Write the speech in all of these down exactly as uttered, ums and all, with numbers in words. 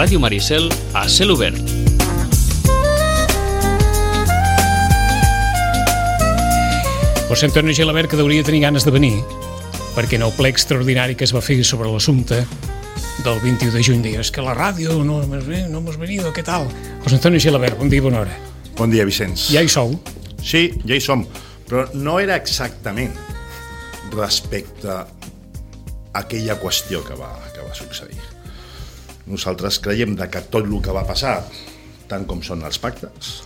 Ràdio Maricel a cel obert. José Antonio Gilabert, que hauria de tenir ganes de venir, perquè en el ple extraordinari que es va fer sobre l'assumpte del vint-i-u de juny dius que la ràdio no hemos venido, què tal? José Antonio Gilabert, bon dia i bona hora. Bon dia, Vicenç. Ja hi sou? Sí, ja hi som, però no era exactament respecte a aquella qüestió que va, que va succeir. Nosaltres creiem que tot el que va passar, tant com són els pactes,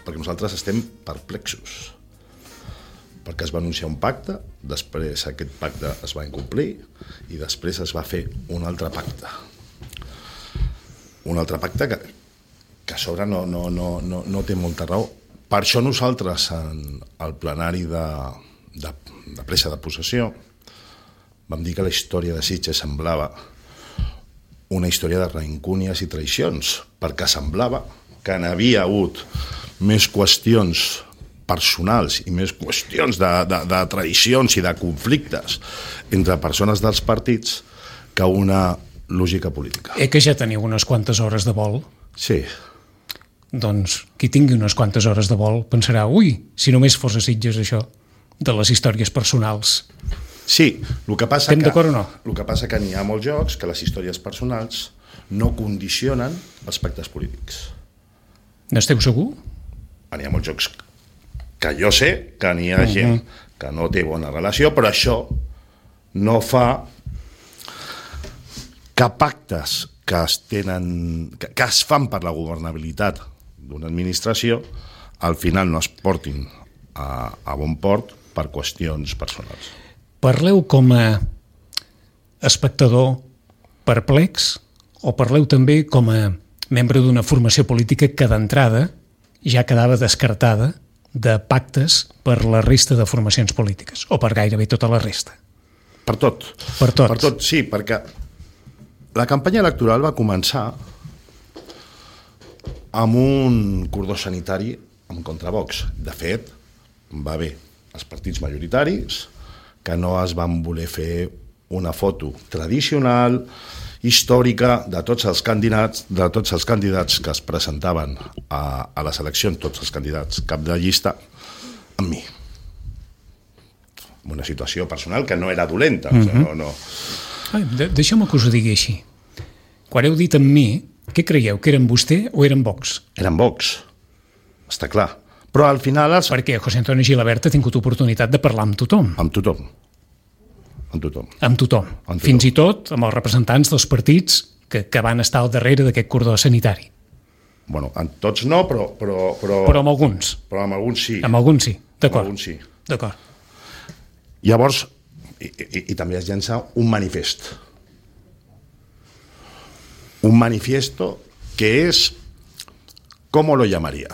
perquè nosaltres estem perplexos, perquè es va anunciar un pacte, després aquest pacte es va incomplir i després es va fer un altre pacte. Un altre pacte que, que a sobre no, no, no, no, no té molta raó. Per això nosaltres, en el plenari de, de, de presa de possessió, vam dir que la història de Sitges semblava una història de reincúnies i traïcions, perquè semblava que n'havia hagut més qüestions personals i més qüestions de, de, de traïcions i de conflictes entre persones dels partits que una lògica política. Eh que ja teniu unes quantes hores de vol? Sí. Doncs qui tingui unes quantes hores de vol pensarà, ui, si només fos a Sitges això, de les històries personals. Sí, el que passa Estem que, d'acord o no? el que passa que n'hi ha molts jocs que les històries personals no condicionen els pactes polítics. N'esteu segur? N'hi ha molts jocs que jo sé que n'hi ha gent que no té bona relació, però això no fa que pactes que es tenen, que, que es fan per la governabilitat d'una administració al final no es portin a, a bon port per qüestions personals. Parleu com a espectador perplex o parleu també com a membre d'una formació política que d'entrada ja quedava descartada de pactes per la resta de formacions polítiques, o per gairebé tota la resta? Per tot. Per tot. Per tot, sí, perquè la campanya electoral va començar amb un cordó sanitari en contra Vox. De fet, va haver els partits majoritaris que no es van voler fer una foto tradicional, històrica, de tots els candidats, de tots els candidats que es presentaven a, a les eleccions, tots els candidats cap de llista, amb mi. Una situació personal que no era dolenta. Mm-hmm. O sigui, no, no. Ai, de, deixeu-me que us ho digui així. Quan heu dit amb mi, què creieu, que eren vostè o eren Vox? Eren Vox, està clar. Però al final... Els... Perquè José Antonio Gilabert ha tingut oportunitat de parlar amb tothom. Amb tothom. Amb tothom. Amb tothom. Amb tothom. Fins i tot amb els representants dels partits que, que van estar al darrere d'aquest cordó sanitari. Bueno, amb tots no, però... Però, però, però amb alguns. Però amb alguns sí. Amb alguns sí, d'acord. Amb alguns sí. D'acord. Llavors, i, i, i també es llença un manifest. Un manifiesto que es, ¿cómo lo llamaría?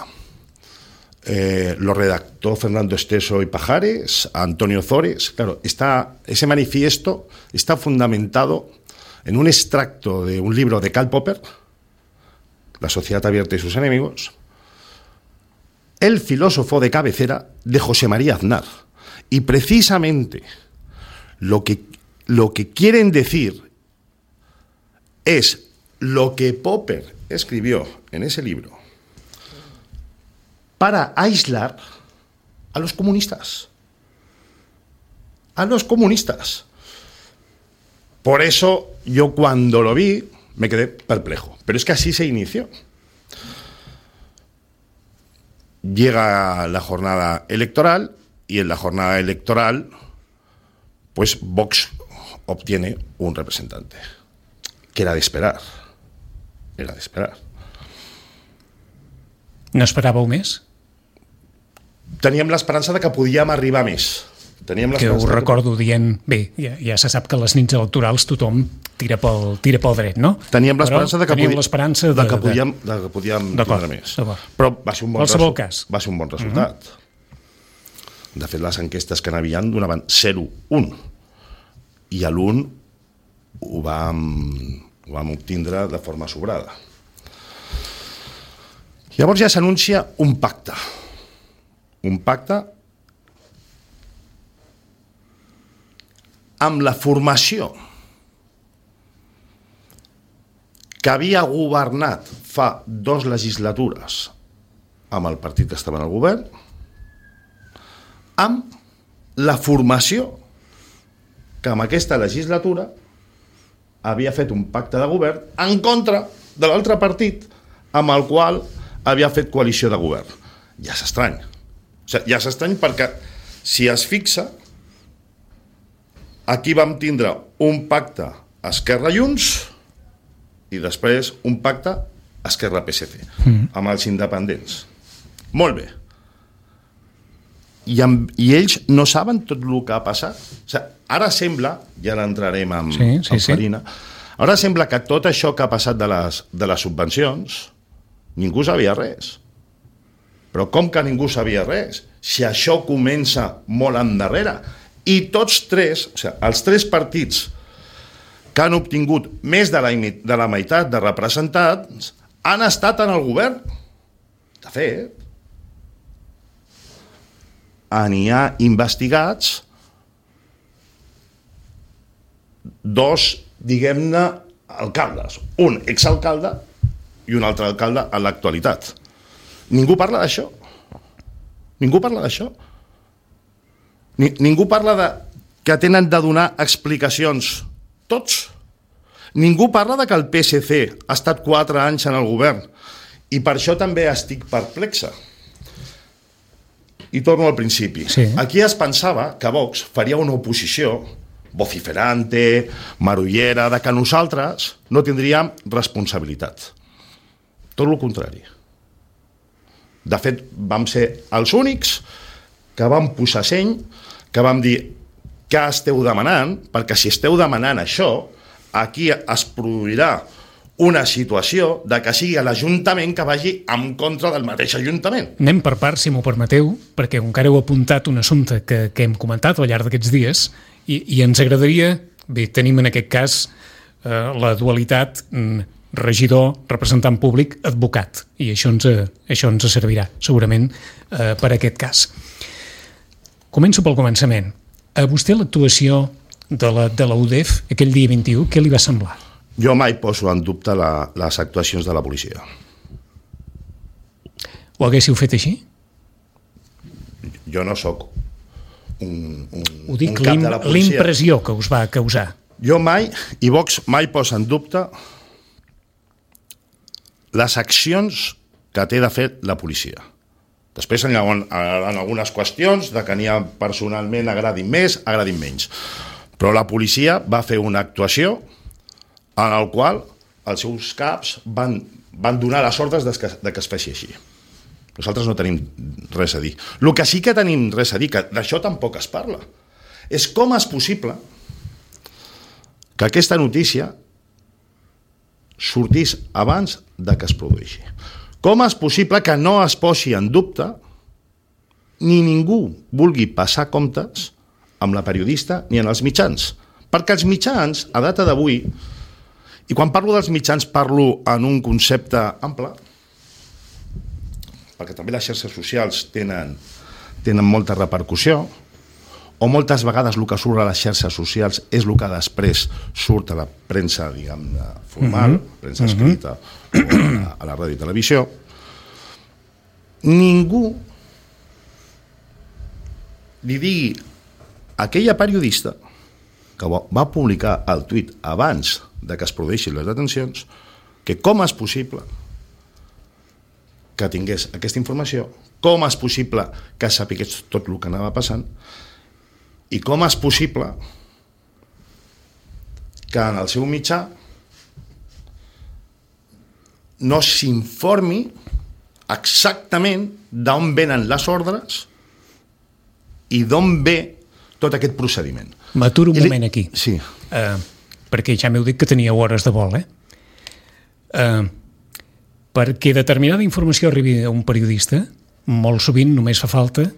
Eh, lo redactó Fernando Esteso y Pajares, Antonio Zores. Claro, está, ese manifiesto está fundamentado en un extracto de un libro de Karl Popper, La sociedad abierta y sus enemigos, el filósofo de cabecera de José María Aznar. Y precisamente lo que, lo que quieren decir es lo que Popper escribió en ese libro para aislar a los comunistas. A los comunistas. Por eso yo cuando lo vi me quedé perplejo. Pero es que así se inició. Llega la jornada electoral y en la jornada electoral pues Vox obtiene un representante. Que era de esperar. Era de esperar. No esperàveu més? Teníem l'esperança de que podíem arribar més. Teníem que ho recordo que... dient, bé, ja, ja se sap que a les nits electorals tothom tira pel, tira pel dret, no? Teníem l'esperança de que, podi... l'esperança de, de que podíem, de que podíem tindre més. Però va ser un bon, resu... cas. va ser un bon resultat. Uh-huh. De fet, les enquestes que n'havien donaven zero un. I a l'un ho vam, ho vam obtindre de forma sobrada. Llavors ja s'anuncia un pacte. Un pacte amb la formació que havia governat fa dos legislatures amb el partit que estava en el govern, amb la formació que en aquesta legislatura havia fet un pacte de govern en contra de l'altre partit amb el qual havia fet coalició de govern. Ja és estrany. O sigui, ja és estrany perquè, si es fixa, aquí vam tindre un pacte Esquerra-Junts i després un pacte Esquerra-P S C, mm. amb els independents. Molt bé. I, amb, I ells no saben tot el que ha passat. O sigui, ara sembla, ja l'entrarem amb, sí, sí, amb Farina, sí. Ara sembla que tot això que ha passat de les, de les subvencions, ningú sabia res. Però com que ningú sabia res? Si això comença molt endarrere. I tots tres, o sigui, els tres partits que han obtingut més de la, de la meitat de representats han estat en el govern. De fet, n'hi ha investigats dos, diguem-ne, alcaldes. Un exalcalde i un altre alcalde en l'actualitat. Ningú parla d'això. Ningú parla d'això. Ni, ningú parla de que tenen de donar explicacions tots. Ningú parla de que el P S C ha estat quatre anys en el govern i per això també estic perplexa. I torno al principi. Sí. Aquí es pensava que Vox faria una oposició vociferante, marullera, de que nosaltres no tindríem responsabilitat. Tot el contrari. De fet, vam ser els únics que vam posar seny, que vam dir què esteu demanant, perquè si esteu demanant això, aquí es produirà una situació de que sigui l'Ajuntament que vagi en contra del mateix Ajuntament. Anem per part, si m'ho permeteu, perquè encara heu apuntat un assumpte que, que hem comentat al llarg d'aquests dies i, i ens agradaria, bé, tenim en aquest cas eh, la dualitat mm, regidor, representant públic, advocat, i això ens, això ens servirà segurament eh, per aquest cas. Començo pel començament. A vostè l'actuació de la, de la U D E F aquell dia vint-i-u, què li va semblar? Jo mai poso en dubte la, les actuacions de la policia. Ho haguéssiu fet així? Jo no sóc un, un, Ho dic, un cap de la policia. L'impressió que us va causar. Jo mai, i Vox mai posa en dubte les accions que té de fer la policia. Després hi ha en algunes qüestions de que n'hi ha personalment agradin més, agradin menys. Però la policia va fer una actuació en el qual els seus caps van, van donar les ordres de que, de que es faci així. Nosaltres no tenim res a dir. El que sí que tenim res a dir, que d'això tampoc es parla, és com és possible que aquesta notícia sortís abans de que es produeixi. Com és possible que no es posi en dubte ni ningú vulgui passar comptes amb la periodista ni en els mitjans? Perquè els mitjans, a data d'avui, i quan parlo dels mitjans parlo en un concepte ample, perquè també les xarxes socials tenen, tenen molta repercussió, o moltes vegades el que surt a les xarxes socials és el que després surt a la premsa, diguem-ne, formal, mm-hmm. premsa escrita, mm-hmm. o a la ràdio i televisió. Ningú li digui a aquella periodista que va publicar el tuit abans de que es produeixin les detencions, que com és possible que tingués aquesta informació, com és possible que sapigués tot el que anava passant, i com és possible que en el seu mitjà no s'informi exactament d'on venen les ordres i d'on ve tot aquest procediment. M'aturo un moment aquí. Sí. Uh, perquè ja m'heu dit que teníeu hores de vol, eh? Uh, perquè determinada informació arribi a un periodista, molt sovint només fa falta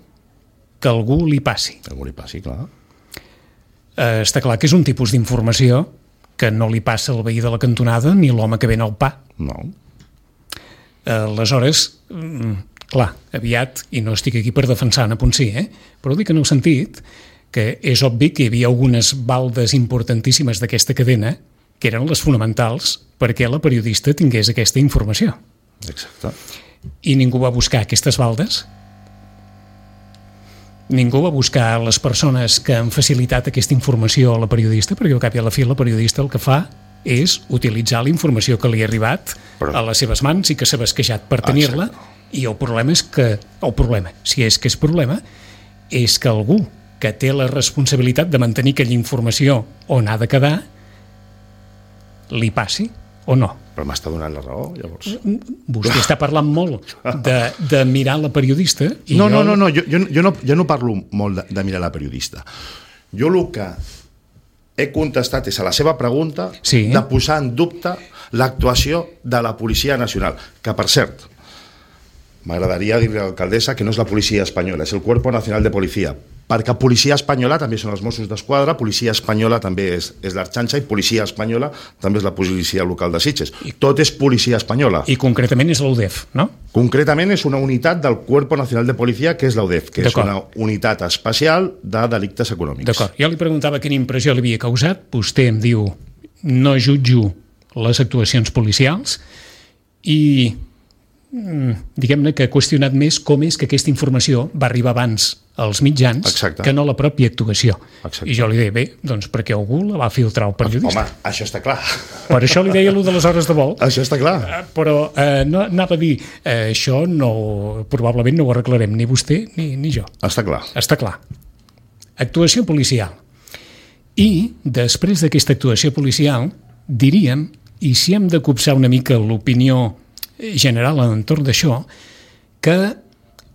que algú li passi. Que algú li passi, clar. Uh, està clar que és un tipus d'informació que no li passa al veí de la cantonada ni l'home que ven el pa. No. Uh, aleshores, um, clar, aviat, i no estic aquí per defensar Anna Ponsí, eh? Però dic en el sentit que és obvi que hi havia algunes baldes importantíssimes d'aquesta cadena que eren les fonamentals perquè la periodista tingués aquesta informació. Exacte. I ningú va buscar aquestes baldes. Ningú va buscar les persones que han facilitat aquesta informació a la periodista, perquè al cap i a la fi la periodista el que fa és utilitzar la informació que li ha arribat Però... a les seves mans i que s'ha basquejat per tenir-la. Exacte. I el problema és que, el problema, si és que és problema, és que algú que té la responsabilitat de mantenir aquella informació on ha de quedar, li passi o no. Però m'està donant la raó, llavors. Vostè està parlant molt de, de mirar la periodista. I no, jo... no, no, no, jo, jo, jo no, jo no parlo molt de, de mirar la periodista. Jo el que he contestat és a la seva pregunta sí. de posar en dubte l'actuació de la Policia Nacional, que, per cert, m'agradaria dir a l'alcaldessa que no és la policia espanyola, és el Cuerpo Nacional de Policia, perquè policia espanyola també són els Mossos d'Esquadra, policia espanyola també és, és l'Arxanxa i policia espanyola també és la policia local de Sitges. I, Tot és policia espanyola. I concretament és l'U D E F, no? Concretament és una unitat del Cuerpo Nacional de Policia, que és l'U D E F, que és una unitat especial de delictes econòmics. D'acord. Jo li preguntava quina impressió li havia causat. Vostè em diu, no jutjo les actuacions policials i... diguem-ne que ha qüestionat més com és que aquesta informació va arribar abans als mitjans Exacte. que no la pròpia actuació. Exacte. I jo li deia, bé, doncs perquè algú la va filtrar el periodista. Home, això està clar. Per això li deia allò de les hores de vol. Això està clar. Però eh, no, anava a dir, eh, això no, probablement no ho arreglarem ni vostè ni, ni jo. Està clar. Està clar. Actuació policial. I després d'aquesta actuació policial, diríem, i si hem de copsar una mica l'opinió general a l'entorn d'això, que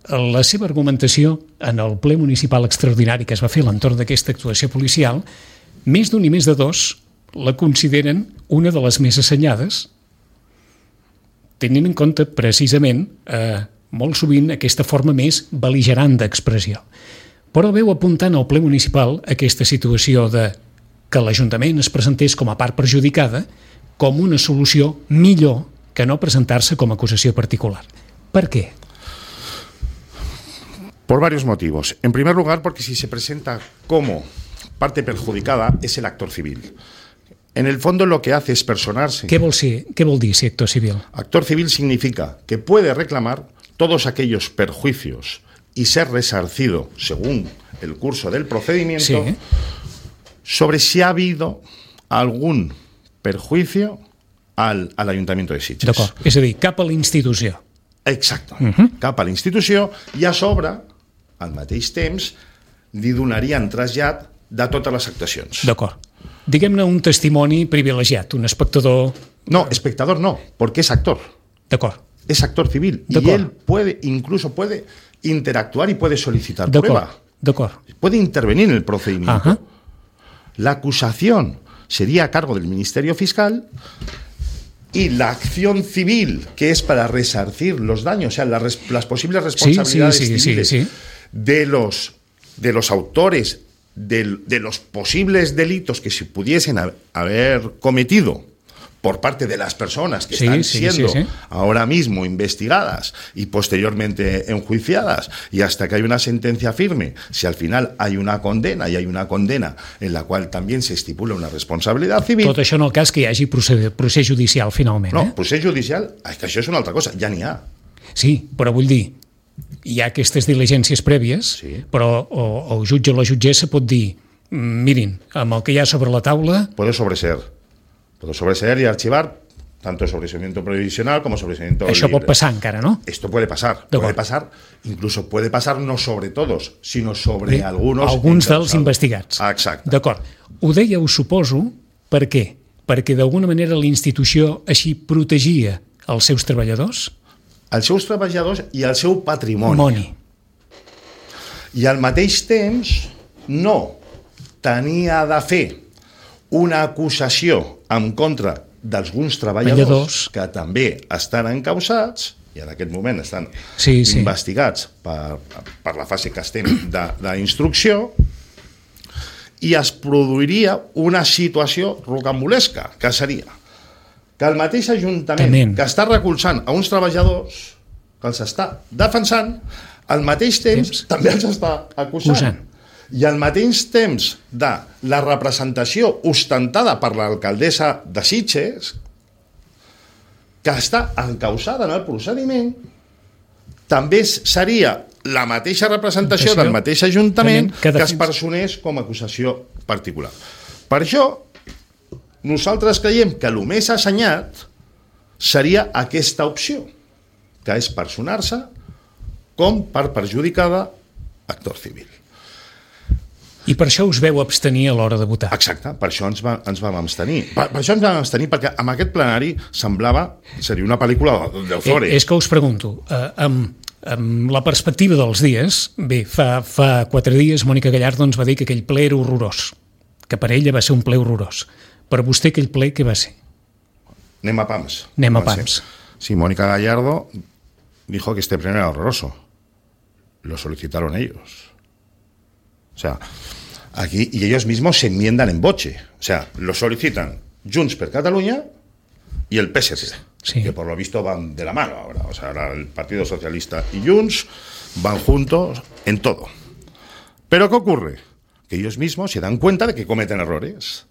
la seva argumentació en el ple municipal extraordinari que es va fer a l'entorn d'aquesta actuació policial, més d'un i més de dos la consideren una de les més assenyades, tenint en compte precisament eh, molt sovint aquesta forma més bel·ligerant d'expressió. Però veu apuntant al ple municipal aquesta situació de que l'Ajuntament es presentés com a part perjudicada com una solució millor que no presentarse como acusación particular. ¿Por qué? Por varios motivos. En primer lugar, porque si se presenta como parte perjudicada, es el actor civil. En el fondo lo que hace es personarse. ¿Qué vol, ser, qué vol dir ser actor civil? Actor civil significa que puede reclamar todos aquellos perjuicios y ser resarcido, según el curso del procedimiento, sí. sobre si ha habido algún perjuicio Al, a l'Ajuntament de Sitges. D'acord, és a dir, cap a la institució. Exacte, uh -huh. cap a la institució i a sobre, al mateix temps, li donarien trasllat de totes les actuacions. D'acord. Diguem-ne un testimoni privilegiat, un espectador... No, espectador no, porque es actor. D'acord. Es actor civil y él puede, incluso puede interactuar y puede solicitar prueba. D'acord. Puede intervenir en el procedimiento. Uh -huh. La acusación sería a cargo del Ministerio Fiscal y la acción civil, que es para resarcir los daños, o sea, la res, las posibles responsabilidades sí, sí, sí, civiles sí, sí. De, los, de los autores de, de los posibles delitos que se pudiesen haber cometido por parte de las personas que sí, están sí, siendo sí, sí. ahora mismo investigadas y posteriormente enjuiciadas, y hasta que hay una sentencia firme, si al final hay una condena, y hay una condena en la cual también se estipula una responsabilidad civil... Tot això en el cas que hi hagi procés, procés judicial, finalment. No, eh? procés judicial, és que això és una altra cosa, ja n'hi ha. Sí, però vull dir, hi ha aquestes diligències prèvies, sí. però o, el jutge o la jutgessa pot dir, mirin, amb el que hi ha sobre la taula... Puede sobreser. Puede sobreseer y archivar tanto sobreseimiento provisional como sobreseimiento Això libre. pot passar encara, no? Esto puede pasar. Puede pasar, incluso puede pasar no sobre todos, sino sobre Bé, algunos... Alguns dels investigats. Ah, exacte. D'acord. Ho deia, ho suposo, per què? Perquè d'alguna manera la institució així protegia els seus treballadors? Els seus treballadors i el seu patrimoni. Moni. I al mateix temps no tenia de fer una acusació en contra d'alguns treballadors que també estan encausats i en aquest moment estan sí, sí. investigats per, per la fase que estem d'instrucció, i es produiria una situació rocambolesca, que seria que el mateix Ajuntament Tenent. que està recolzant a uns treballadors que els està defensant, al mateix temps, temps. també els està acusant. Usant. I al mateix temps de la representació ostentada per l'alcaldessa de Sitges, que està encausada en el procediment, també seria la mateixa representació del mateix ajuntament que es personés com a acusació particular. Per això, nosaltres creiem que el més assenyat seria aquesta opció, que és personar-se com per perjudicada actor civil. I per això us veu abstenir a l'hora de votar. Exacte, per això ens, va, ens vam abstenir. Per, per això ens vam abstenir, perquè amb aquest plenari semblava, seria una pel·lícula d'Ozores. Eh, és que us pregunto, eh, amb, amb la perspectiva dels dies, bé, fa, fa quatre dies Mònica Gallardo ens va dir que aquell ple era horrorós, que per ella va ser un ple horrorós. Per vostè aquell ple què va ser? Anem a pams. Anem a pams. Sí, Mónica Gallardo dijo que este pleno era horroroso. Lo solicitaron ellos. O sea, aquí, y ellos mismos se enmiendan en boche. O sea, lo solicitan Junts per Catalunya y el P S C, sí. Que por lo visto van de la mano ahora. O sea, ahora el Partido Socialista y Junts van juntos en todo. Pero ¿qué ocurre? Que ellos mismos se dan cuenta de que cometen errores.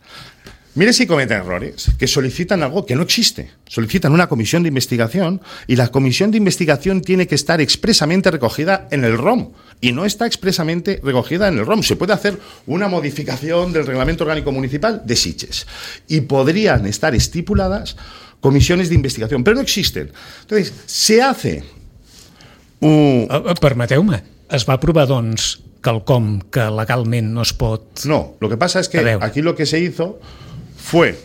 Mire si cometen errores, que solicitan algo que no existe. Solicitan una comisión de investigación y la comisión de investigación tiene que estar expresamente recogida en el R O M y no está expresamente recogida en el R O M. Se puede hacer una modificación del Reglamento Orgánico Municipal de Sitges y podrían estar estipuladas comisiones de investigación, pero no existen. Entonces, se hace... Un... Permeteu-me, es va aprovar, doncs, quelcom que legalment no es pot... No, lo que pasa es que aquí lo que se hizo fue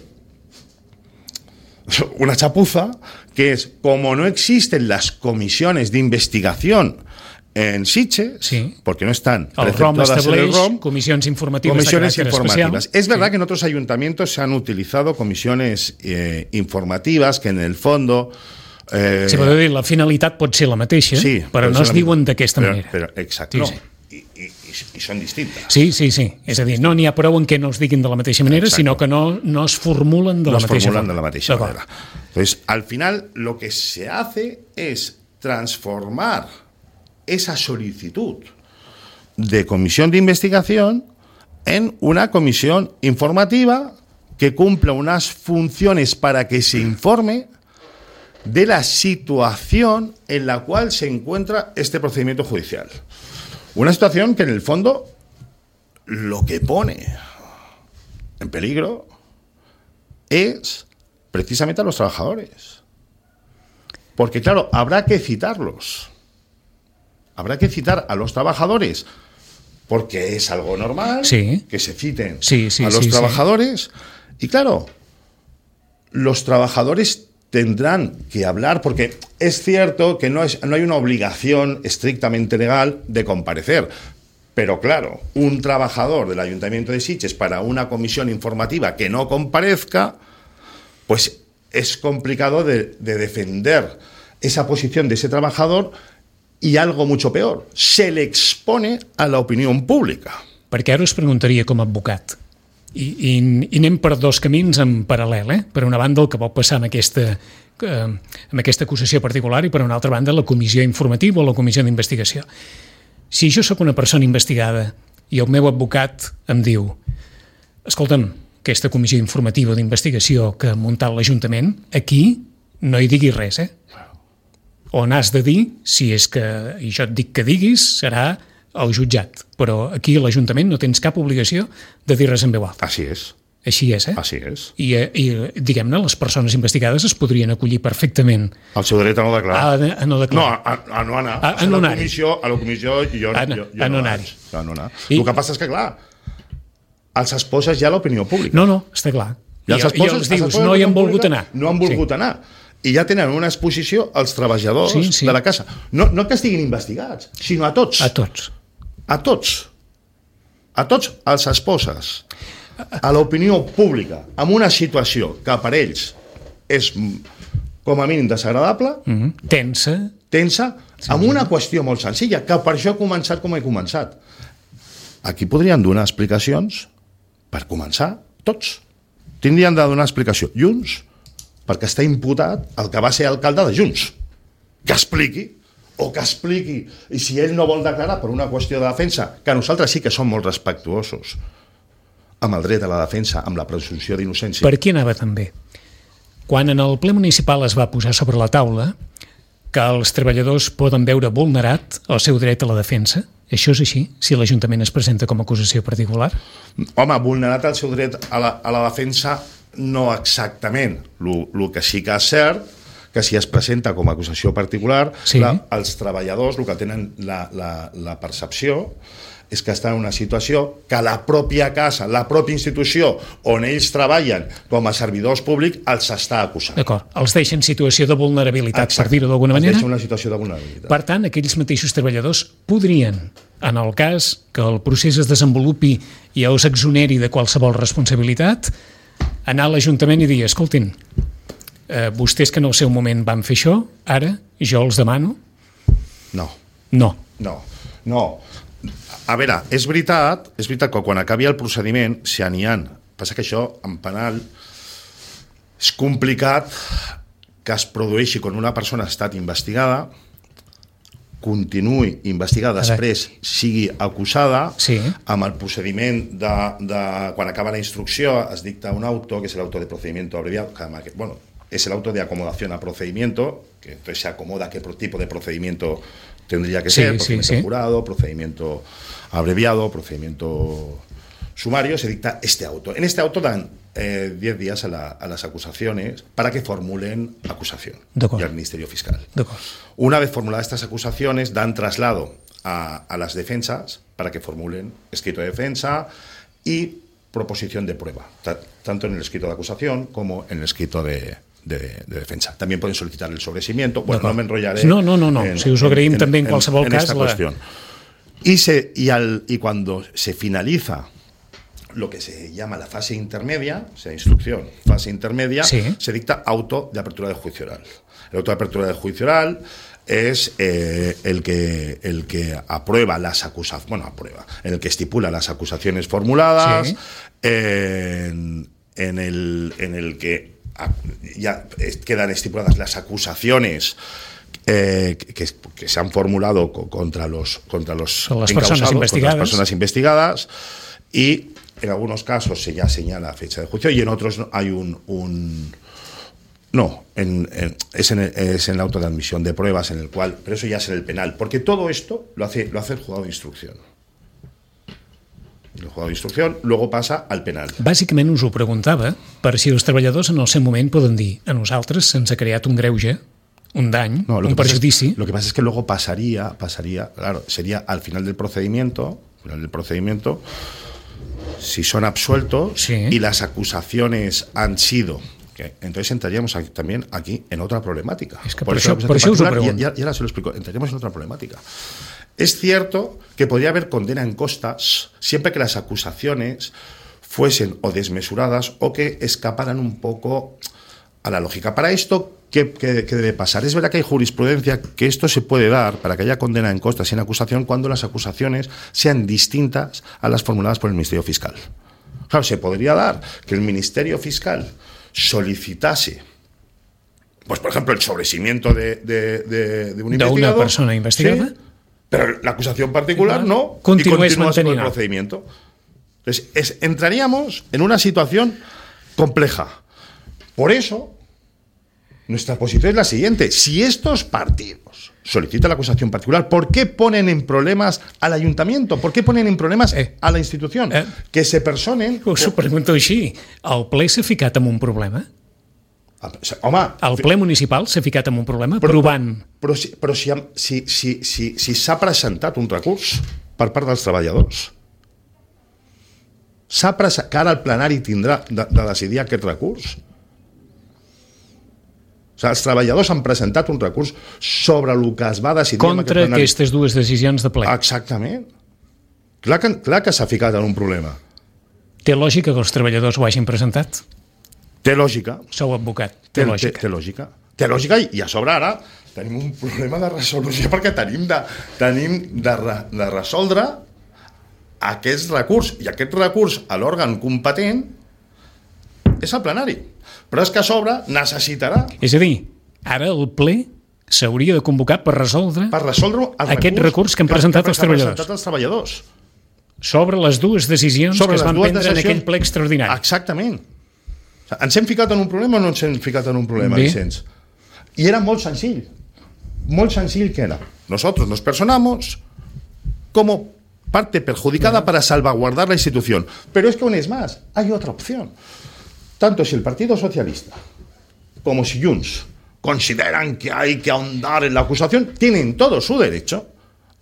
una chapuza, que es, como no existen las comisiones de investigación en Sitges, sí, porque no están preceptuadas en el R O M, comisiones informativas. Comisiones informativas. Es verdad sí. que en otros ayuntamientos se han utilizado comisiones eh, informativas que en el fondo... Eh, sí, però la finalitat pot ser la mateixa, sí, però, però no es diuen d'aquesta manera. Però, exacte, sí, no. Sí. I, i, i són distintes. Sí, sí, sí. És a dir, no n'hi ha prou en què no es diguin de la mateixa manera, exacte, sinó que no, no es formulen de no la mateixa formulen de la mateixa manera. Entonces, al final, lo que se hace es transformar esa solicitud de comisión de investigación en una comisión informativa que cumpla unas funciones para que se informe de la situación en la cual se encuentra este procedimiento judicial. Una situación que en el fondo lo que pone en peligro es precisamente a los trabajadores. Porque claro, habrá que citarlos. Habrá que citar a los trabajadores porque es algo normal, sí, que se citen sí, sí, a los sí, trabajadores. Sí. Y claro, los trabajadores tendrán que hablar, porque es cierto que no, es, no hay una obligación estrictamente legal de comparecer, pero claro, un trabajador del Ayuntamiento de Sitges para una comisión informativa que no comparezca, pues es complicado de, de defender esa posición de ese trabajador y algo mucho peor, se le expone a la opinión pública. Perquè ara us preguntaria com a advocat, I, i, i anem per dos camins en paral·lel, eh? Per una banda el que pot passar amb aquesta, eh, amb aquesta acusació particular i per una altra banda la comissió informativa o la comissió d'investigació. Si jo sóc una persona investigada i el meu advocat em diu escolta'm, aquesta comissió informativa d'investigació que ha muntat l'Ajuntament, aquí no hi diguis res, eh? On has de dir, si és que, i jo et dic que diguis, serà al jutjat, però aquí a l'Ajuntament no tens cap obligació de dir res en veu alta. Així és. Així és, eh? Així és. I, i diguem-ne, les persones investigades es podrien acollir perfectament. El seu dret a no declarar. A, a no declarar. No, a, a no anar. A, a no anar. A la comissió, a la comissió jo, a, jo, jo a no no anar-hi. A no anar. I... El que passa és que, clar, els esposes ja l'opinió pública. No, no, està clar. I, I, esposes, I els dius, no hi han volgut anar. No han volgut sí. anar. I ja tenen una exposició als treballadors sí, sí. de la casa. No, no que estiguin investigats, sinó a tots. A tots. A tots. A tots els esposes. A l'opinió pública, amb una situació que per ells és com a mínim desagradable, mm-hmm. tensa, tensa sí, amb una qüestió molt senzilla, que per això he començat com he començat. Aquí podrien donar explicacions, per començar, tots. Tindrien de donar explicació. Junts, perquè està imputat el que va ser alcalde de Junts. Que expliqui o que expliqui, i si ell no vol declarar per una qüestió de defensa, que nosaltres sí que som molt respectuosos amb el dret a la defensa, amb la presumpció d'innocència. Per aquí anava també. Quan en el ple municipal es va posar sobre la taula que els treballadors poden veure vulnerat el seu dret a la defensa, això és així, si l'Ajuntament es presenta com a acusació particular? Home, vulnerat el seu dret a la, a la defensa no exactament. El que sí que és cert, que si es presenta com a acusació particular, sí. la, els treballadors el que tenen la, la, la percepció és que estan en una situació que la pròpia casa, la pròpia institució on ells treballen com a servidors públics els està acusant. D'acord, els deixa en situació de vulnerabilitat, Exacte. Per dir-ho d'alguna manera. Els deixa en una situació de vulnerabilitat. Per tant, aquells mateixos treballadors podrien, en el cas que el procés es desenvolupi i o s'exoneri de qualsevol responsabilitat, anar a l'Ajuntament i dir, escoltin, eh, vostès que en el seu moment van fer això, ara jo els demano? No. No. No, no. A veure, és veritat, és veritat que quan acabi el procediment, si n'hi ha, passa que això en penal és complicat que es produeixi quan una persona ha estat investigada, continuï investigada, després sigui acusada, sí. Amb el procediment de, de quan acaba la instrucció es dicta un auto, que és l'auto de procedimiento abreviado, que, bueno, es el auto de acomodación a procedimiento, que entonces se acomoda a qué tipo de procedimiento tendría que sí, ser, procedimiento sí, sí. jurado, procedimiento abreviado, procedimiento sumario, se dicta este auto. En este auto dan eh, diez días a, la, a las acusaciones para que formulen acusación y al Ministerio Fiscal. Una vez formuladas estas acusaciones, dan traslado a, a las defensas para que formulen escrito de defensa y proposición de prueba, tanto en el escrito de acusación como en el escrito de, de, de defensa. También pueden solicitar el sobreseimiento. Bueno, no me enrollaré. No, no, no, no. En, si us ho agraïm en, també en, en qualsevol en cas. Esta la... cuestión. Y, se, y, al, y cuando se finaliza lo que se llama la fase intermedia, o sea, instrucción, fase intermedia, sí. Se dicta auto de apertura de juicio oral. El auto de apertura de juicio oral es eh, el, que, el que aprueba las acusaciones, bueno, aprueba, en el que estipula las acusaciones formuladas, sí. en, en, el, en el que ya quedan estipuladas las acusaciones Eh, que, que se han formulado contra los contra los las personas investigadas, contra las personas investigadas, y en algunos casos se ya señala fecha de juicio y en otros hay un, un no en, en, es, en el, es en el auto de admisión de pruebas en el cual, pero eso ya es en el penal, porque todo esto lo hace lo hace el juzgado de instrucción. El juzgado de instrucción luego passa al penal. Bàsicament us ho preguntava per si els treballadors en el seu moment poden dir a nosaltres se'ns ha creat un greuge, un daño, no, un perjudici. Es, lo que pasa es que luego pasaría, pasaría, claro, sería al final del procedimiento, al final del procedimiento, si son absueltos sí. Y las acusaciones han sido, que entonces entraríamos aquí, también aquí en otra problemática. Es que por, por eso, por eso us ho pregunto. Ya, ya se lo explico, entraríamos en otra problemática. Es cierto que podría haber condena en costas siempre que las acusaciones fuesen o desmesuradas o que escaparan un poco a la lógica. Para esto, ¿qué, qué, qué debe pasar? Es verdad que hay jurisprudencia que esto se puede dar para que haya condena en costas y en acusación cuando las acusaciones sean distintas a las formuladas por el Ministerio Fiscal. Claro, se podría dar que el Ministerio Fiscal solicitase, pues por ejemplo, el sobreseimiento de, de, de, de un investigador. ¿De una persona investigada? Sí, pero la acusación particular no, Continúes y continúa con el manteniendo. procedimiento. Entonces, es, entraríamos en una situación compleja. Por eso, nuestra posición es la siguiente. Si estos partidos solicitan la acusación particular, ¿por qué ponen en problemas al ayuntamiento? ¿Por qué ponen en problemas eh, a la institución? Eh, que se personen... Us ho pregunto així. El ple s'ha ficat en un problema? Home... El ple municipal s'ha ficat en un problema però, provant... Però, si, però si, si, si, si, si s'ha presentat un recurs per part dels treballadors, s'ha presentat, que ara el plenari tindrà de, de decidir aquest recurs... O sigui, els treballadors han presentat un recurs sobre el que es va decidir... Contra aquest aquestes dues decisions de ple. Exactament. Clar que, clar que s'ha ficat en un problema. Té lògica que els treballadors ho hagin presentat? Té lògica. Sou advocat. Té, té, lògica. Té, té lògica. Té lògica i, i a sobre ara tenim un problema de resolució perquè tenim de, tenim de, re, de resoldre aquest recurs. I aquest recurs a l'òrgan competent és el plenari. Però és que a sobre necessitarà... És a dir, ara el ple s'hauria de convocar per resoldre, per resoldre el aquest recurs que han presentat els treballadors. presentat els treballadors. Sobre les dues decisions Sobre que es les van dues prendre en decisions- aquell ple extraordinari. Exactament. O sigui, ens hem ficat en un problema o no ens hem ficat en un problema, Bé. Vicenç? Y era muy sencillo. Muy sencillo que era. Nosotros nos personamos como parte perjudicada para salvaguardar la institución. Pero es que aún es más, hay otra opción. Tanto si el Partido Socialista como si Junts consideran que hay que ahondar en la acusación, tienen todo su derecho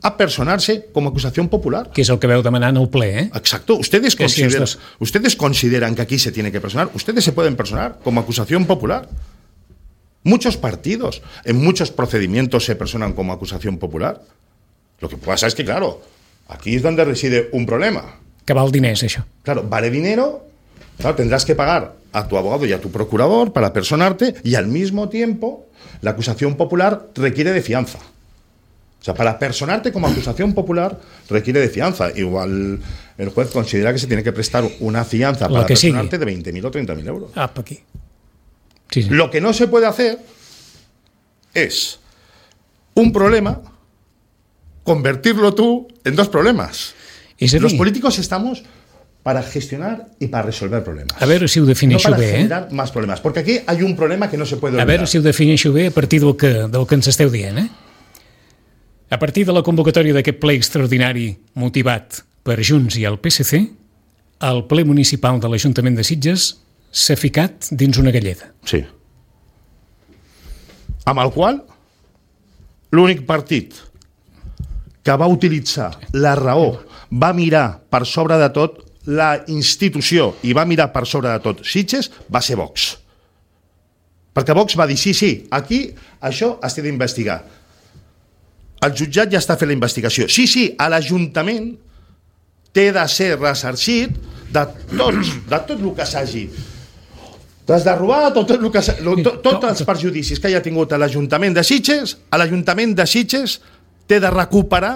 a personarse como acusación popular. Que és el que veu demanant el ple, eh? Exacto. Ustedes Que si consideran, estos- ustedes consideran que aquí se tiene que personar. Ustedes se pueden personar como acusación popular. Muchos partidos, en muchos procedimientos se personan como acusación popular. Lo que pasa es que, claro, aquí es donde reside un problema. Que val diners, això. Claro, vale dinero, claro, tendrás que pagar a tu abogado y a tu procurador para personarte, y al mismo tiempo la acusación popular requiere de fianza. O sea, para personarte como acusación popular requiere de fianza. Igual el juez considera que se tiene que prestar una fianza Lo para que sigue. personarte de veinte mil o treinta mil euros. Ah, per aquí. Sí, sí. Lo que no se puede hacer es un problema, convertirlo tú en dos problemas. És a Los dir, políticos estamos para gestionar y para resolver problemas. a veure si ho No defineixo para bé, eh? generar más problemas. Porque aquí hay un problema que no se puede A olvidar. veure si ho defineixo bé a partir del que, del que ens esteu dient, eh? A partir de la convocatòria d'aquest ple extraordinari motivat per Junts i el P S C, el ple municipal de l'Ajuntament de Sitges s'ha ficat dins una galleda. Sí. Amb el qual l'únic partit que va utilitzar la raó, va mirar per sobre de tot la institució i va mirar per sobre de tot Sitges, va ser Vox. Perquè Vox va dir, sí, sí, aquí això es té d'investigar. El jutjat ja està fent la investigació. Sí, sí, a l'Ajuntament té de ser ressarcit de tots, de tot el que s'hagi desderrobat, tot, tot, el que, s'ha- lo- tot, tots els perjudicis que hi ha tingut a l'Ajuntament de Sitges, a l'Ajuntament de Sitges té de recuperar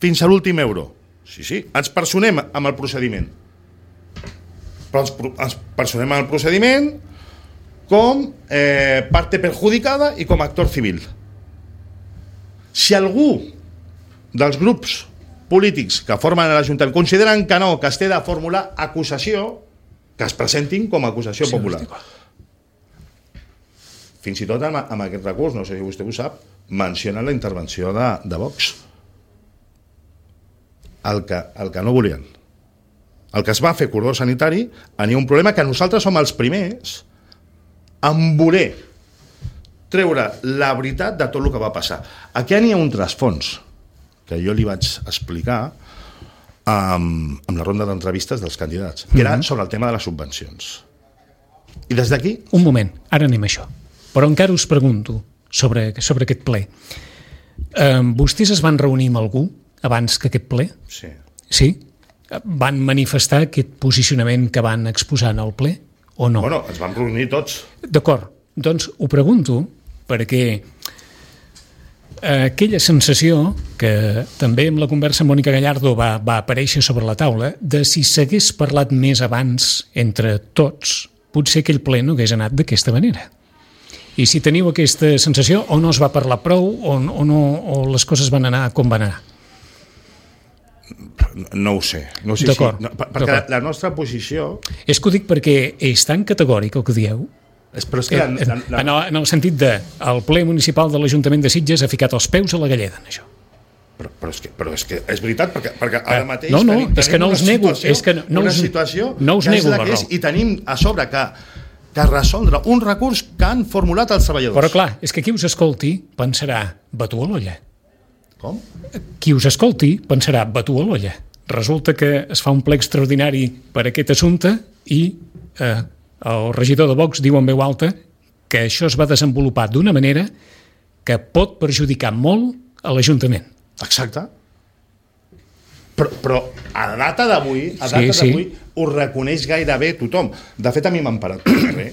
fins a l'últim euro. Sí, sí, ens personem amb el procediment. Però ens, pro- ens personem amb el procediment com eh, parte perjudicada i com a actor civil. Si algú dels grups polítics que formen l'Ajuntament consideren que no, que es té de formular acusació, que es presentin com a acusació popular. Fins i tot amb, amb aquest recurs, no sé si vostè ho sap, mencionen la intervenció de, de Vox. El que, el que no volien. El que es va fer cordó sanitari, hi ha un problema que nosaltres som els primers en voler treure la veritat de tot el que va passar. Aquí n'hi ha un trasfons que jo li vaig explicar amb, amb la ronda d'entrevistes dels candidats, que era sobre el tema de les subvencions. I des d'aquí... Un moment, ara anem a això. Però encara us pregunto sobre, sobre aquest ple. Eh, vostès es van reunir amb algú abans que aquest ple? Sí. Sí? Van manifestar aquest posicionament que van exposar en el ple o no? Bueno, ens vam reunir tots. D'acord, doncs ho pregunto perquè aquella sensació que també amb la conversa amb Mònica Gallardo va, va aparèixer sobre la taula de si s'hagués parlat més abans entre tots, potser aquell ple no hagués anat d'aquesta manera. I si teniu aquesta sensació, o no es va parlar prou o, o, no, o les coses van anar com van anar. No ho sé. No sé si, D'acord, no, per- perquè d'acord. la nostra posició... És que ho dic perquè és tan categòric el que dieu, És, però és que la, la, la, en, el, en el sentit de el ple municipal de l'Ajuntament de Sitges ha ficat els peus a la galleda en això. Però, però, és que, però és que és veritat, perquè, perquè ara mateix no, no, tenim, és que no tenim us una nego, situació, és que no- no una us- situació no us que és nego la la que és, raó. i tenim a sobre que, que resoldre un recurs que han formulat els treballadors. Però clar, és que qui us escolti pensarà batu a l'olla. Com? Qui us escolti pensarà batu a l'olla. Resulta que es fa un ple extraordinari per aquest assumpte i eh, el regidor de Vox diu en veu alta que això es va desenvolupar d'una manera que pot perjudicar molt a l'Ajuntament. Exacte. Però, però a data d'avui, a Sí, data sí. d'avui, ho reconeix gairebé tothom. De fet, a mi m'han parat pel carrer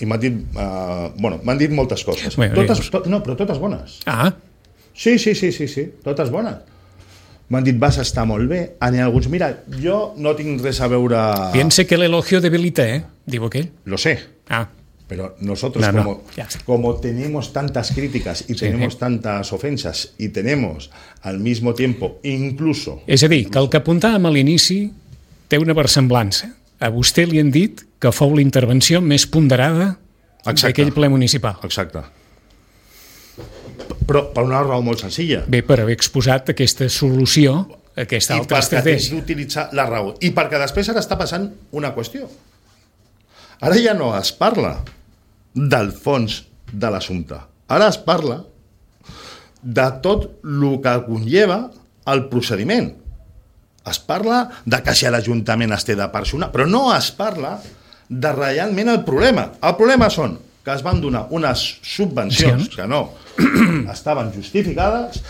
i m'han dit, uh, bueno, m'han dit moltes coses. Bueno, totes, ja- to, no, però totes bones. Ah, Sí, sí, sí, sí, sí, totes bones. M'han dit, vas estar molt bé. N'hi ha alguns, mira, jo no tinc res a veure... piense que el elogio debilita, eh? Diu aquell. Lo sé, Ah, Pero nosotros, no, no, como, ya. como tenemos tantas críticas y sí, tenemos sí. tantas ofensas y tenemos al mismo tiempo incluso... És a dir, que el que apuntàvem a l'inici té una versemblança. A vostè li han dit que fou la intervenció més ponderada d'aquell ple municipal. Exacte. Però per una raó molt senzilla. Bé, per haver exposat aquesta solució, aquesta altra estratègia. I perquè d'utilitzar la raó. I perquè després ara està passant una qüestió. Ara ja no es parla del fons de l'assumpte. Ara es parla de tot el que conlleva el procediment. Es parla de que si l'Ajuntament es té de personar, però no es parla de realment el problema. El problema són que es van donar unes subvencions que no estaven justificades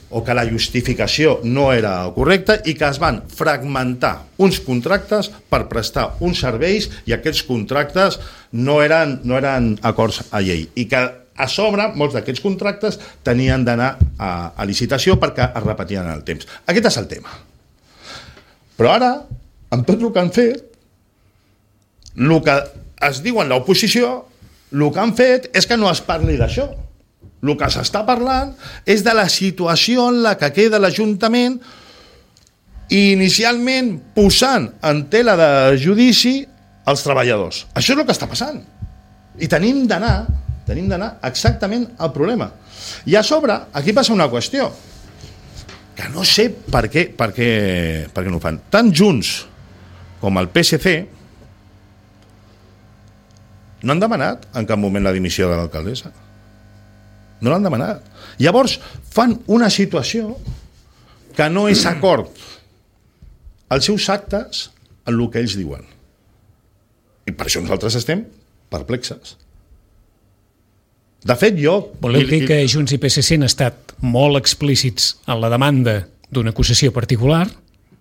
o que la justificació no era correcta i que es van fragmentar uns contractes per prestar uns serveis i aquests contractes no eren, no eren acords a llei i que a sobre molts d'aquests contractes tenien d'anar a, a licitació perquè es repetien en el temps. Aquest és el tema. Però ara, amb tot el que han fet, el que es diu en l'oposició, el que han fet és que no es parli d'això. El que s'està parlant és de la situació en la que queda l'Ajuntament i inicialment posant en tela de judici els treballadors. Això és el que està passant. I tenim d'anar, tenim d'anar exactament al problema. I a sobre, aquí passa una qüestió, que no sé per què, per què, per què no ho fan. Tant Junts com el P S C no han demanat en cap moment la dimissió de l'alcaldessa. No l'han demanat. Llavors fan una situació que no és acord als seus actes en el que ells diuen. I per això nosaltres estem perplexes. De fet, jo... Voleu dir que Junts i P S C han estat molt explícits en la demanda d'una acusació particular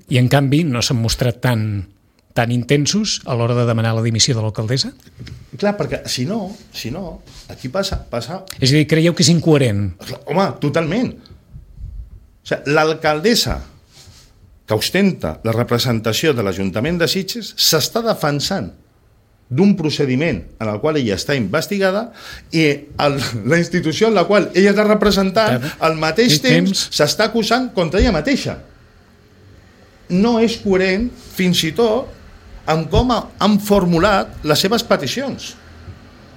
i, en canvi, no s'han mostrat tan, tan intensos a l'hora de demanar la dimissió de l'alcaldessa? Clar, perquè si no, si no, aquí passa... passa... És a dir, creieu que és incoherent? Home, totalment. O sigui, l'alcaldessa que ostenta la representació de l'Ajuntament de Sitges s'està defensant d'un procediment en el qual ella està investigada i el, la institució en la qual ella és la representant al mateix sí, temps, temps s'està acusant contra ella mateixa. No és coherent, fins i tot, amb com han formulat les seves peticions.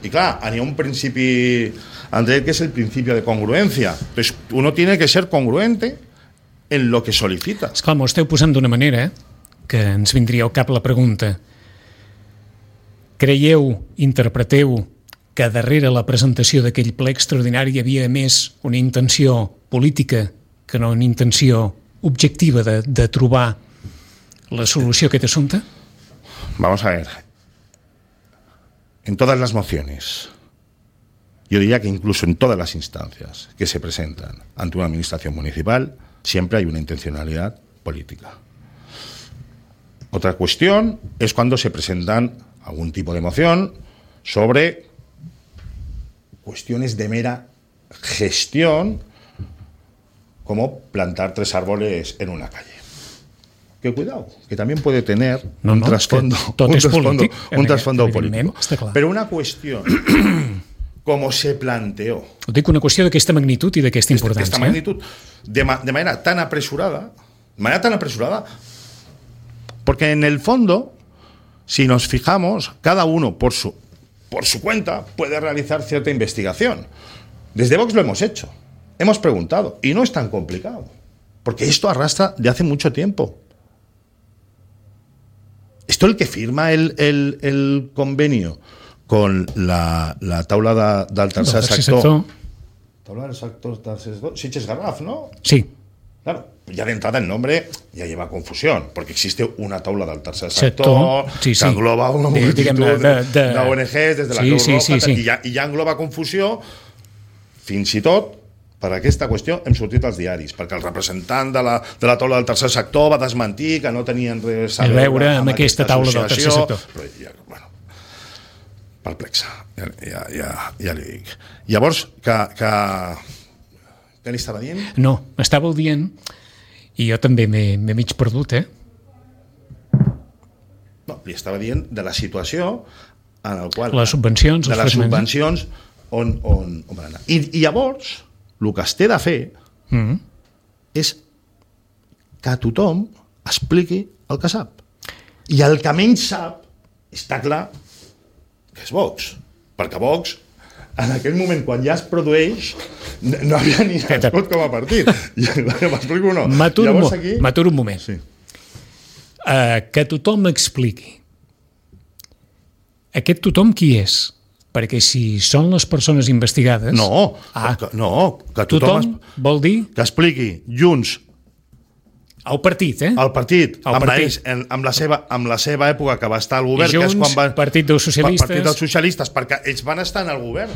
I clar, hi ha un principi, Andrés, que és el principi de congruència. Entonces, uno tiene que ser congruente en lo que solicita. Esclar, m'ho esteu posant d'una manera que ens vindria al cap la pregunta. Creieu, interpreteu, que darrere la presentació d'aquell ple extraordinari hi havia més una intenció política que no una intenció objectiva de, de trobar la solució a aquest assumpte? Vamos a ver. En todas las mociones, yo diría que incluso en todas las instancias que se presentan ante una administración municipal, siempre hay una intencionalidad política. Otra cuestión es cuando se presentan algún tipo de moción sobre cuestiones de mera gestión, como plantar tres árboles en una calle. Que cuidado, que también puede tener no, un no, trasfondo, un trasfondo, polític, un trasfondo político. Clar. Pero una cuestión, como se planteó... Ho dic una qüestió d'aquesta magnitud i d'aquesta importància. D'aquesta magnitud, de, ma, de manera tan apresurada, de manera tan apresurada, porque en el fondo, si nos fijamos, cada uno por su, por su cuenta puede realizar cierta investigación. Desde Vox lo hemos hecho, hemos preguntado, y no es tan complicado, porque esto arrastra de hace mucho tiempo. Esto el que firma el, el, el convenio con la, la taula de, del tercer sector, sector. Taula del sector tercer sector, Sitges Garraf, ¿no? Sí. Claro, ya de entrada el nombre ya lleva confusión, porque existe una taula del tercer sector, sector sí, sí. que engloba una multitud de, de, de, de O N Gs, des de la sí, Creu sí, Roja, sí, sí. I, ja, i ja engloba confusió, fins i tot, per aquesta qüestió hem sortit als diaris, perquè el representant de la, de la taula del tercer sector va desmentir que no tenien res a veure, veure amb, amb aquesta, aquesta taula del tercer sector. Però ja, bueno, perplexa, ja, ja, ja, ja li dic. Llavors, que, que, què li estava dient? No, m'estàveu dient, i jo també m'he mig perdut, eh? No, li estava dient de la situació en el qual... Les subvencions, de els les fragments. subvencions on, on, on van anar. I, I llavors, el que es té de fer Mm -hmm. és que tothom expliqui el que sap. I el que menys sap, està clar, que és Vox. Perquè Vox, en aquell moment, quan ja es produeix, no havia ni nascut com a partit. M'explico o no? M'aturo un, aquí... un moment. Sí. Uh, que tothom expliqui. Aquest tothom qui és? Perquè si són les persones investigades... No, ah, que, no, que tothom... tothom es... vol dir... Que expliqui Junts... El partit, eh? El partit, el amb, partit. ells, en, amb, la seva, amb la seva època que va estar al govern, Junts, que és quan va... Partit dels Socialistes... Partit dels Socialistes, perquè ells van estar en el govern.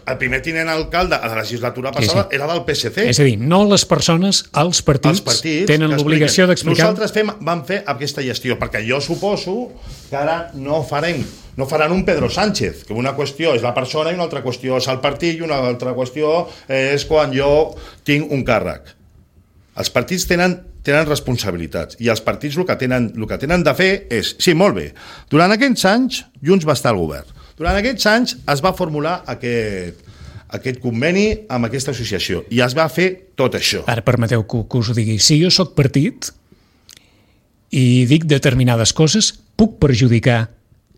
El primer tinent alcalde a la legislatura passada sí, sí. era del P S C. És a dir, no les persones, els partits, els partits tenen l'obligació d'explicar... Nosaltres fem, vam fer aquesta gestió, perquè jo suposo que ara no farem no faran un Pedro Sánchez, que una qüestió és la persona i una altra qüestió és el partit i una altra qüestió és quan jo tinc un càrrec. Els partits tenen, tenen responsabilitats i els partits el que, tenen, el que tenen de fer és, sí, molt bé, durant aquests anys Junts va estar al govern. Durant aquests anys es va formular aquest, aquest conveni amb aquesta associació i es va fer tot això. Ara permeteu que, que us ho digui. Si jo sóc partit i dic determinades coses, puc perjudicar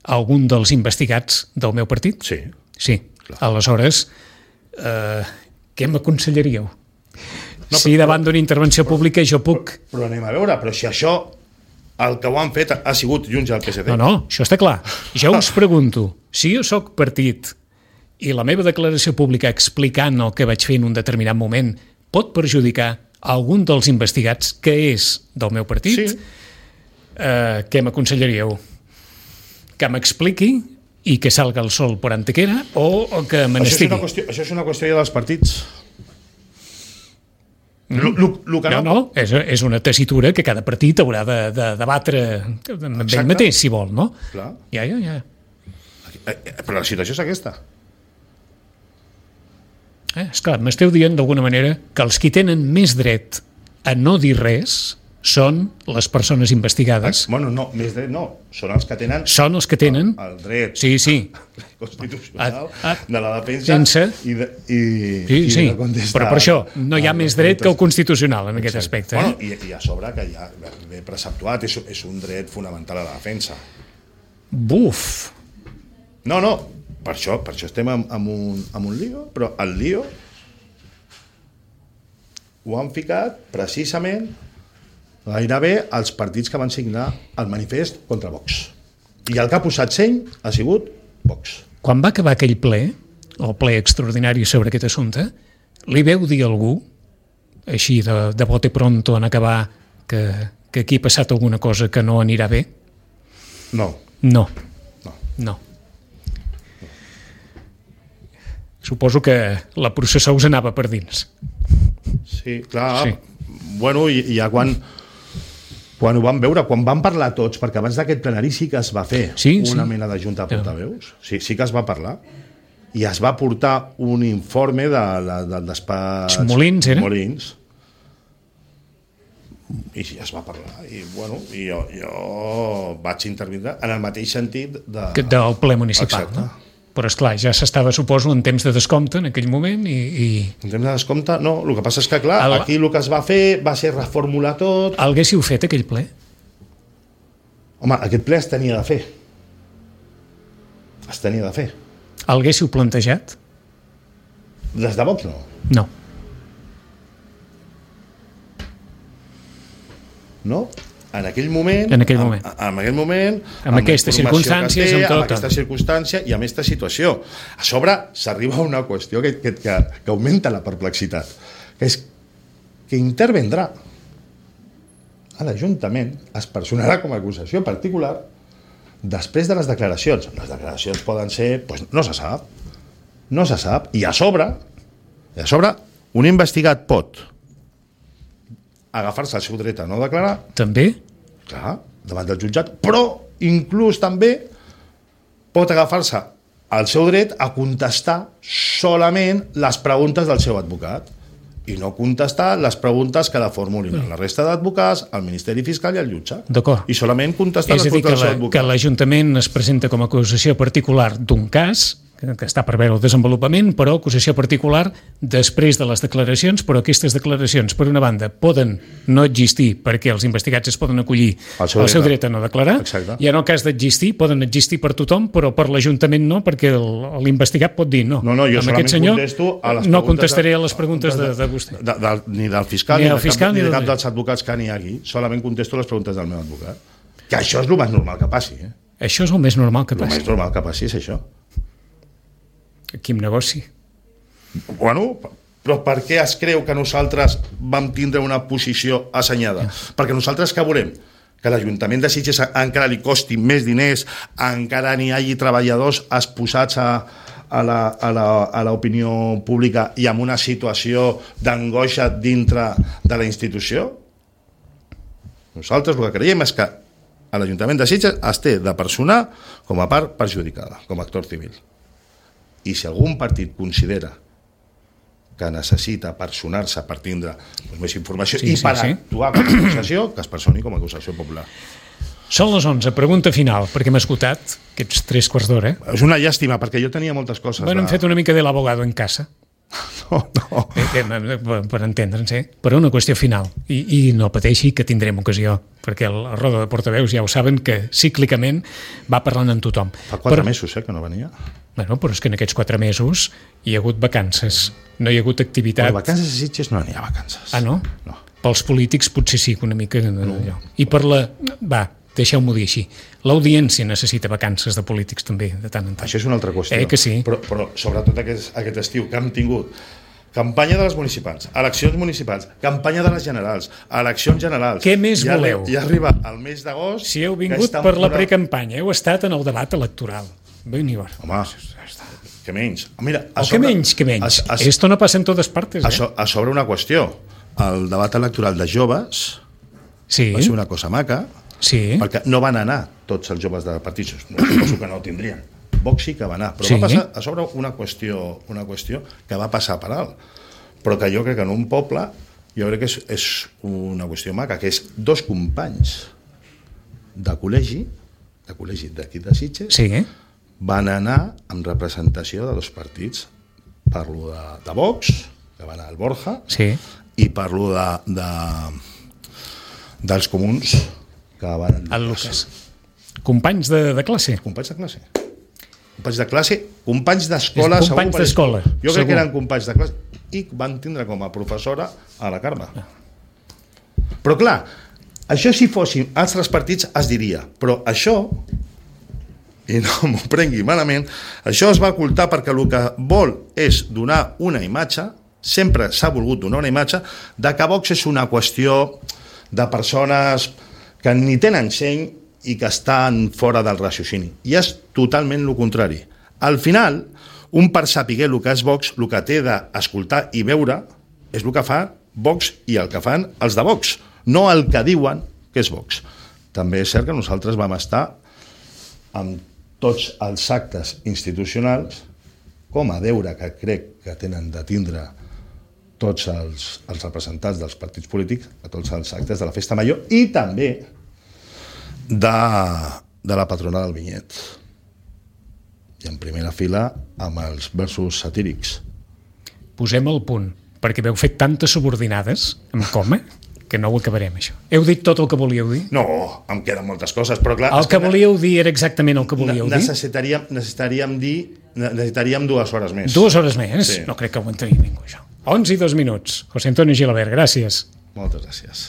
algun dels investigats del meu partit? Sí. Sí. Clar. Aleshores, eh, què m'aconsellaríeu? No, si davant d'una intervenció pública jo puc... Però, però anem a veure, però si això, el que ho han fet ha sigut Junts i el P S C. No, no, això està clar. Jo us pregunto, si jo sóc partit i la meva declaració pública explicant el que vaig fer en un determinat moment pot perjudicar algun dels investigats que és del meu partit, sí. eh, què m'aconsellaríeu? Que m'expliqui i que salga el sol per Antequera o, o que me n'estigui? Això, qüestió, això és una qüestió dels partits. Mm. Lo, lo, lo que no, no, no és, és una tessitura que cada partit haurà de, de debatre amb ell mateix, si vol, no? Clar. Ja, ja, ja. Però la situació és aquesta. Eh, esclar, m'esteu dient d'alguna manera que els qui tenen més dret a no dir res són les persones investigades. Bueno, no, més dret no, són els que tenen... Són els que tenen... El, el dret sí, sí. constitucional a, a, de la defensa sense... i de, i, sí, i sí. de contestar. Però per això no hi ha més dret que el constitucional en aquest aspecte. Eh? Bueno, i, I a sobre que ja ve preceptuat, és, és un dret fonamental a la defensa. Buf! No, no, per això, per això estem amb, amb, un, amb un lío, però el lío ho han ficat precisament gairebé els partits que van signar el manifest contra Vox. I el que ha posat seny ha sigut Vox. Quan va acabar aquell ple, el ple extraordinari sobre aquest assumpte, li veu dir a algú, així de, de bote pronto en acabar, que, que aquí ha passat alguna cosa que no anirà bé? No. No. No. No. Suposo que la processó us anava per dins. Sí, clar. Sí. Bueno, i, i ja quan... Quan ho vam veure, quan van parlar tots, perquè abans d'aquest plenari sí que es va fer sí, una sí. mena de junta de portaveus, sí, sí que es va parlar, i es va portar un informe de, de, del despatx... Molins, era? Molins. I sí, es va parlar, i bueno, i jo, jo vaig intervindre en el mateix sentit de... del ple municipal, exacte. No? Però, esclar, ja s'estava, suposo, en temps de descompte en aquell moment i... i... En temps de descompte, no. El que passa és que, clar, el... aquí el que es va fer va ser reformular tot... El haguéssiu fet, aquell ple? Home, aquest ple es tenia de fer. Es tenia de fer. El haguéssiu plantejat? Des de Vox, no. No. No? En aquell moment... En aquell moment. En, en aquell moment... Amb, amb aquestes circumstàncies, té, amb tot. Amb aquesta circumstància i amb aquesta situació. A sobre s'arriba a una qüestió que, que, que, que augmenta la perplexitat, que és que intervendrà a l'Ajuntament, es personarà com a acusació particular després de les declaracions. Les declaracions poden ser... Doncs no se sap. No se sap. I a sobre, i a sobre un investigat pot agafar-se el seu dret a no declarar. També? Clar, davant del jutjat, però inclús també pot agafar-se el seu dret a contestar solament les preguntes del seu advocat. i no contestar les preguntes que la formulin la resta d'advocats, el Ministeri Fiscal i el jutge. D'acord. I solament contestar És les a dir, que preguntes la- dels que advocats. l'Ajuntament es presenta com a acusació particular d'un cas que, que està per veure el desenvolupament, però acusació particular després de les declaracions, però aquestes declaracions, per una banda, poden no existir perquè els investigats es poden acollir Al seu al seu dret. dret a no declarar, Exacte. i en el cas d'existir, poden existir per tothom, però per l'Ajuntament no, perquè el- l'investigat pot dir no. No, no, jo Amb solament aquest senyor contesto a les no preguntes contestaré de- a les preguntes de, de vostè. De, de, ni del fiscal Ni ni, del de cap, fiscal, ni ni de del- cap dels advocats que n'hi hagi, solament contesto les preguntes del meu advocat. Que això és el més normal que passi. Eh? Això és el més normal que El passi. més normal que passi és això. Quin negoci. Bueno, però per què es creu que nosaltres vam tindre una posició assenyada? Perquè nosaltres que volem? Que l'Ajuntament de Sitges encara li costi més diners, encara n'hi hagi treballadors exposats a, a la, a la, a l'opinió pública i amb una situació d'angoixa dintre de la institució? Nosaltres el que creiem és que a l'Ajuntament de Sitges es té de personar com a part perjudicada, com a actor civil. I si algun partit considera que necessita personar-se per tindre doncs, més informació Sí, i sí, per sí. actuar com a acusació, que es personi com a acusació popular. Són les onze, pregunta final, perquè hem esgotat aquests tres quarts d'hora. És una llàstima, perquè jo tenia moltes coses. Bueno, hem de... fet una mica de l'abogado en casa, No, no. eh, que, per, per entendre'ns, eh? però una qüestió final. I, I no pateixi que tindrem ocasió, perquè la roda de portaveus ja ho saben que cíclicament va parlant amb tothom. Fa quatre però, mesos eh, que no venia. Bueno, però és que en aquests quatre mesos hi ha hagut vacances, no hi ha hagut activitat. Per vacances a Sitges no n'hi ha vacances. Ah, no? No. Pels polítics potser sí, que una mica... No. I per la... Va, deixeu-m'ho dir així. L'audiència necessita vacances de polítics també, de tant en tant. Això és una altra qüestió. Eh que sí? Però, però sobretot aquest, aquest estiu que hem tingut campanya de les municipals, eleccions municipals, campanya de les generals, eleccions generals... Què més ja, voleu? Ja arriba el mes d'agost... Si heu que vingut estan per la posant- precampanya, heu estat en el debat electoral. Veniu. Home, que menys. Mira, a O que sobre- menys, que menys. A, a, Esto no passa en totes partes, a, eh? so, a sobre una qüestió. El debat electoral de joves Sí, va ser una cosa maca, sí. perquè no van anar tots els joves de partits, no, suposo que no ho tindrien. Vox sí que va anar, però Sí. va passar a sobre una qüestió, una qüestió que va passar per alt, però que jo crec que en un poble jo crec que és, és una qüestió maca, que és dos companys de col·legi, de col·legi d'aquí de Sitges, Sí, eh? van anar amb representació de dos partits. Parlo de, de Vox, que va anar al Borja, Sí. i parlo de, de, dels comuns, que van... El Lucas. Companys de, de classe. Companys de classe. Companys de classe, companys d'escola... És segur, companys perquè d'escola, Jo crec segur. que eren companys de classe i van tindre com a professora a la Carme. Però clar, això si fossin altres partits es diria, però això, i no m'ho prengui malament, això es va ocultar perquè el que vol és donar una imatge, sempre s'ha volgut donar una imatge, de que Vox és una qüestió de persones que ni tenen seny i que estan fora del raciocini. I és totalment el contrari. Al final, un per saber el que és Vox, el que té d'escoltar i veure és el que fa Vox i el que fan els de Vox, no el que diuen que és Vox. També és cert que nosaltres vam estar amb tots els actes institucionals com a deure que crec que tenen de tindre tots els, els representants dels partits polítics a tots els actes de la Festa Major i també de, de la patrona del vinyet. I en primera fila amb els versos satírics. Posem el punt, perquè veu fet tantes subordinades amb coma que no ho acabarem, això. Heu dit tot el que volíeu dir? No, em queden moltes coses, però clar... El és que volíeu dir era exactament el que volíeu dir? necessitaríem, necessitaríem dir necessitaríem dues hores més. Dues hores més? Sí. No crec que ho entengui ningú, això. onze i dos minuts. José Antonio Gilabert, gràcies. Moltes gràcies.